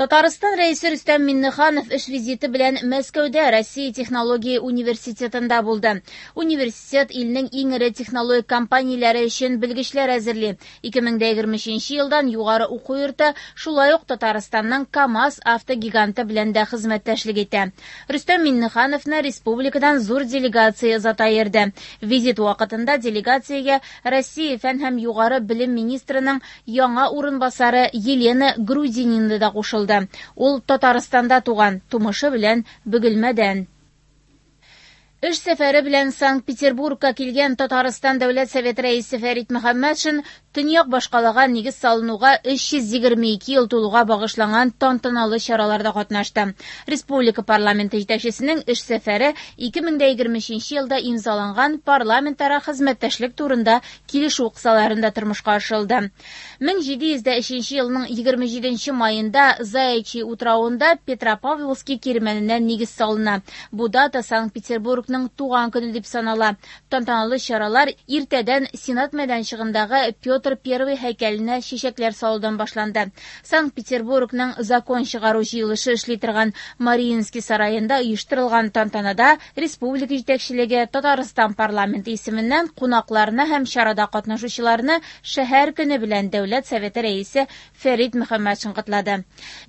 Татарстан Рәисе Рөстәм Миңнеханов эш визиты белән Мәскәүдә Россия технология университетында булды. Университет илнең иң эре технологик компанияләре өчен белгечләр әзерли. 2023 елдан югары уку йорты шулай ук Татарстанның КАМАЗ автогиганты белән дә хезмәттәшлек итә. Рөстәм Миңнехановны республикадан зур делегация озата йөрде. Визит вакытында делегациягә Россия фән һәм югары белем министрының яңа урынбасары Елена Грудинина да кушылды. Ул Татарстанда туган, тумышы белән Бөгелмәдән. Эш сәфәре белән Санкт-Петербургка килгән Татарстан Дәүләт Советы рәисе Фәрит Мөхәммәтшин төньяк башкалага нигез салынуга 322 ел тулуга багышланган тантаналы чараларда катнашты. Республика парламенты җитәкчесенең эш сәфәре 2023 елда имзаланган парламентара хезмәттәшлек турында килешү кысаларында тормышка ашырылды. 1703 елның 27 маенда Заячий утравында Петропавловский кирмәненә нигез салына. Бу дата Санкт-Петербургның туган көне дип санала. Тантаналы чаралар иртәдән Сенат мәйданчыгындагы Петр I һәйкәленә чәчәкләр салудан башланды. Санкт-Петербургның закон чыгару җыелышы эшли торган Мариинский сараенда оештырылган тантанада республика җитәкчелеге Татарстан парламенты исеменнән кунакларны һәм чарада катнашучыларны шәһәр көне белән Дәүләт Советы рәисе Фәрит Мөхәммәтшин котлады.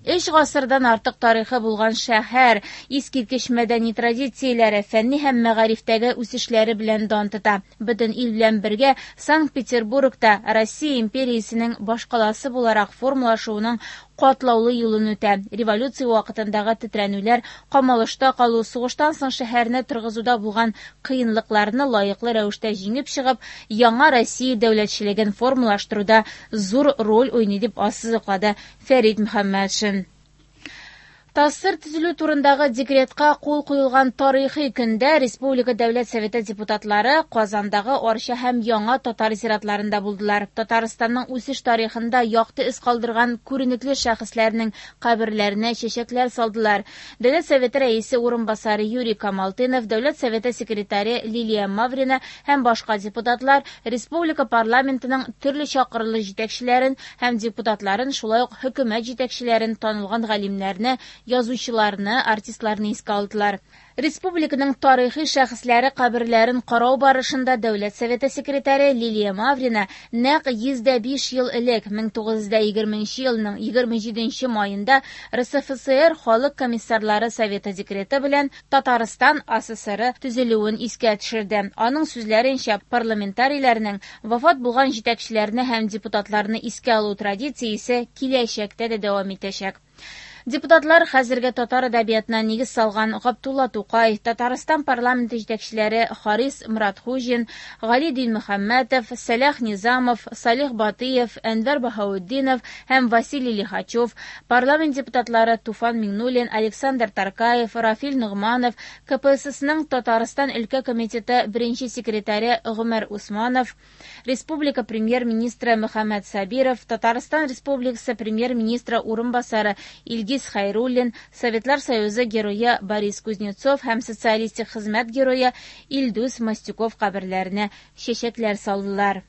Өч гасырдан артык тарихы булган шәһәр искиткеч мәдәни традицияләре, фәнни һәм мәгарифтәге үсешләре белән дан тота. Бөтен ил белән бергә Санкт-Петербургта Россия империясенең башкаласы буларак формалашуының катлаулы юлын үтә. Революция вакытындагы тетрәнүләр, камалышта калу, сугыштан соң шәһәрне торгызуда булган кыенлыкларны лаеклы рәвештә җиңеп чыгып, яңа Россия дәүләтчелеген формалаштыруда зур роль уйный дип ассызыклады Фәрит Мөхәммәтшин. ТАССР төзелү турындагы декретка кул куелган тарихи көндә Республика Дәүләт Советы депутатлары Казандагы Арча һәм Яңа татар зиратларында булдылар. Татарстанның үсеш тарихында якты эз калдырган күренекле шәхесләрнең каберләренә чәчәкләр салдылар. Дәүләт Советы рәисе урынбасары Юрий Камалтынов, Дәүләт Советы секретаре Лилия Маврина һәм башка депутатлар республика парламентының төрле чакырылыш җитәкчеләрен һәм депутатларын, шулай ук хөкүмәт җитәкчеләрен, танылган галимнәрне, язучыларны, артистларны искә алдылар. Республиканың тарихи шәхесләре каберләрен карау барышында Дәүләт Советы секретаре Лилия Маврина нәкъ 105 ел элек 1920 елның 27 маенда РСФСР Халык комиссарлары Советы декреты белән Татарстан АССРы төзелүен искә төшерде. Аның сүзләренчә, парламентарийләрнең вафат булган җитәкчеләрне һәм депутатларны искә алу традициясе киләчәктә дә дәвам итәчәк. Депутатлар хәзерге татар әдәбиятына нигез салган Габдулла Тукай, Татарстан парламенты җитәкчеләре Харис Моратхуҗин, Гали Динмөхәммәтов, Сәлах Низамов, Салих Батыев, Әнвәр Баһаутдинов һәм Василий Лихачев, парламент депутатлары Туфан Миңнуллин, Александр Таркаев, Рафил Ногманов, КПССның Татарстан өлкә комитеты беренче секретаре Гомәр Усманов, Республика премьер-министры Мөхәммәт Сабиров, Татарстан Республикасы премьер-министры урынбасары Илгиз Хәйруллин, Советлар Союзы герое Борис Кузнецов һәм Социалистик хезмәт герое Илдус Мостюков каберләренә чәчәкләр салдылар.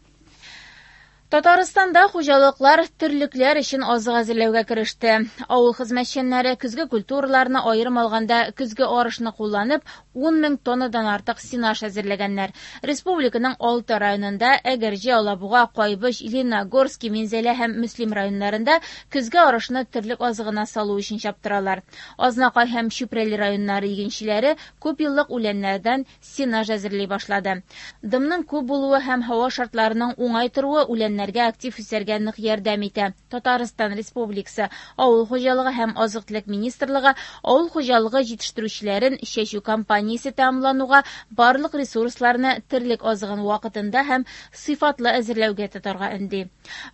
Татарстанда хуҗалыклар терлекләр өчен азык әзерләүгә кереште. Авыл хезмәтчәннәре көзге культураларны, аерым алганда көзге арышны кулланып, 10 мең тоннадан артык сенаж әзерләгәннәр. Республиканың 6 районында Әгерҗе, Алабуга, Кайбыч, Лениногорский, Минзәлә һәм Мөслим районнарында көзге арышны терлек азыгына салу өчен чаптыралар. Азнакай һәм Чүпрәле районнары игенчеләре күпьеллык үләннәрдән сенаж әзерли башлады. Дымның күп булуы һәм һава шартларының уңай торуы үләннәргә актив үсәргә нык ярдәм итә. Татарстан Республикасы Авыл хуҗалыгы һәм азык-төлек министрлыгы авыл хуҗалыгы җитештерүчеләрен чәчү кампаниясе тәмамлануга барлык ресурсларны терлек азыгын вакытында һәм сыйфатлы әзерләүгә тотарга өнди.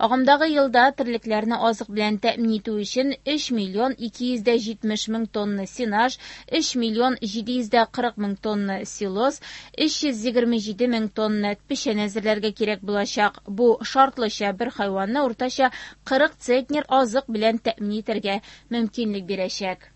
Агымдагы елда терлекләрне азык белән тәэмин итү өчен 3 миллион 270 мең тонна сенаж, 3 миллион 740 мең тонна силос, 327 мең тонна печән әзерләргә кирәк булачак. Бу шартлыча бер хайванны уртача 40 центнер азык белән тәэмин итәргә мөмкинлек бирәчәк.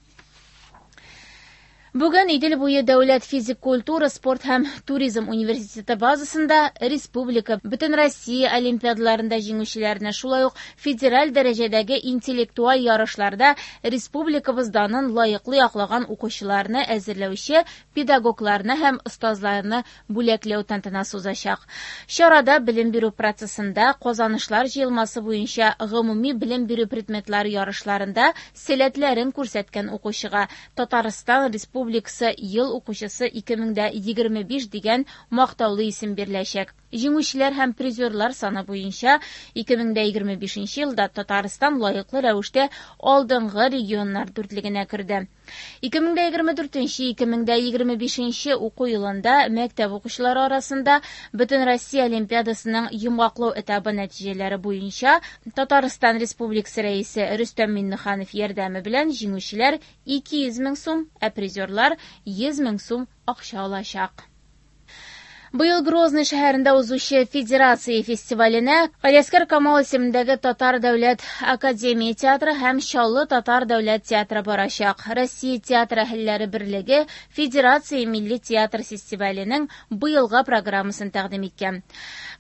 Бүген Идел буе дәүләт физик культура, спорт һәм туризм университеты базасында республика, Бөтенроссия олимпиадаларында җиңүчеләрне, шулай ук федераль дәрәҗәдәге интеллектуаль ярышларда республикабыз данын лаеклы яклаган укучыларны әзерләүче педагогларны һәм остазларны бүләкләү тантанасы узачак. Чарада белем бирү процессында казанышлар җыелмасы буенча гомуми белем бирү предметлары ярышларында сәләтләрен күрсәткән укучыга Татарстан Республикасы Ел укучысы 2025 дигән мактаулы исем биреләчәк. Җиңүчеләр һәм призерлар саны буенча 2025 елда Татарстан лаеклы рәвештә алдынгы регионнар дүртлегенә керде. 2024-2025 уку елында мәктәп укучылары арасында Бөтенроссия олимпиадасының йомгаклау этабы нәтиҗәләре буенча Татарстан Республикасы Рәисе Рөстәм Миңнеханов ярдәме белән җиңүчеләр 200 мең сум, ә призерлар 100 мең сум акча алачак. Быел Грозный шәһәрендә узучы Федерация фестиваленә Галиәсгар Камал исемендәге Татар дәүләт академия театры һәм Чаллы татар дәүләт театры барачак. Россия театр әһелләре берлеге Федерация милли театр фестиваленең быелгы программасын тәкъдим иткән.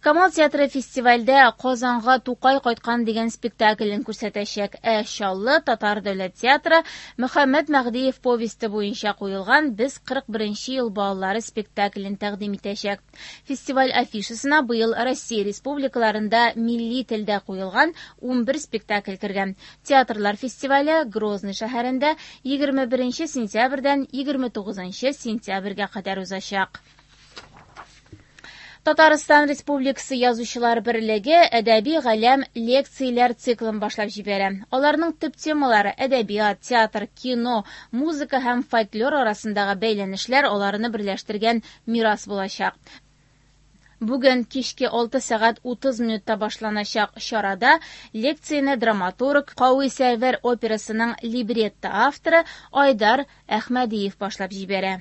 Камал театры фестивальдә Казанга Тукай кайткан дигән спектаклен күрсәтәчәк. Ә Чаллы татар дәүләт театры Мөхәммәт Мәһдиев повесте буенча куелган Без 41 ел балалары спектаклен тәкъдим итәчәк. Фестиваль афишасына быел Россия республикаларында милли телдә куелган 11 спектакль кергән. Театрлар фестивале Грозный шәһәрендә 21 сентябрьдән 29 сентябрьгә кадәр узачак. Татарстан Республикасы Язучылар берлеге Әдәби галәм лекцияләр циклын башлап җибәрә. Аларның төп темалары әдәбият, театр, кино, музыка һәм фольклор арасындагы бәйләнешләр аларны берләштергән мирас булачак. Бүген кичке 6 сәгать 30 минутта башланачак чарада лекцияне драматург, Кави Сәрвәр операсының либретто авторы Айдар Әхмәдиев башлап җибәрә.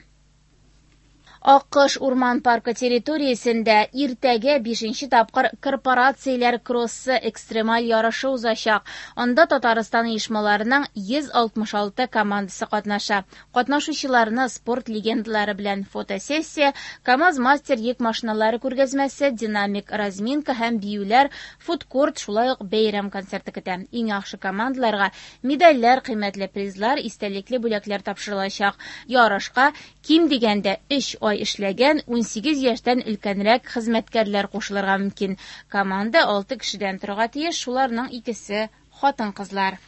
Аккош урман паркы территориясендә иртәгә 5 тапкыр корпорацияләр кроссы экстремаль ярышы узачак. Анда Татарстан оешмаларының 166 командасы катнаша. Катнашучыларны спорт легендалары белән фотосессия, КАМАЗ-мастер йөк машиналары күргәзмәсе, динамик разминка һәм биюләр, фудкорт, шулай ук бәйрәм концерты көтә. Иң яхшы командаларга медальләр, кыйммәтле призлар, истәлекле бүләкләр тапшырылачак. Ярышка ким дигәндә 3 ай эшләгән 18 яшьтән өлкәнрәк хезмәткәрләр кушылырга мөмкин. Команда 6 кешедән торырга тиеш, шуларның икесе хатын-кызлар.